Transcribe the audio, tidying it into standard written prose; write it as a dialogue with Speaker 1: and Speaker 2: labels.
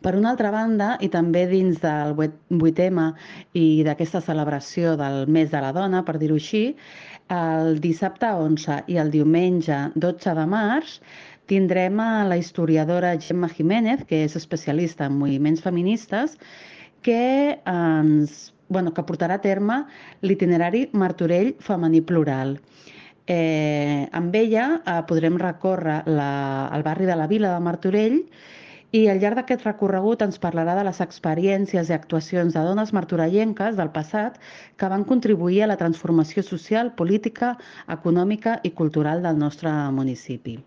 Speaker 1: Per una altra banda, i també dins del 8M i d'aquesta celebració del mes de la dona, per dir-ho així, el dissabte 11 i el diumenge 12 de març tindrem a la historiadora Gemma Jiménez, que és especialista en moviments feministes, que portarà a terme l'itinerari Martorell femení plural. Amb ella podrem recórrer el barri de la Vila de Martorell i al llarg d'aquest recorregut ens parlarà de les experiències i actuacions de dones martorellenques del passat que van contribuir a la transformació social, política, econòmica i cultural del nostre municipi.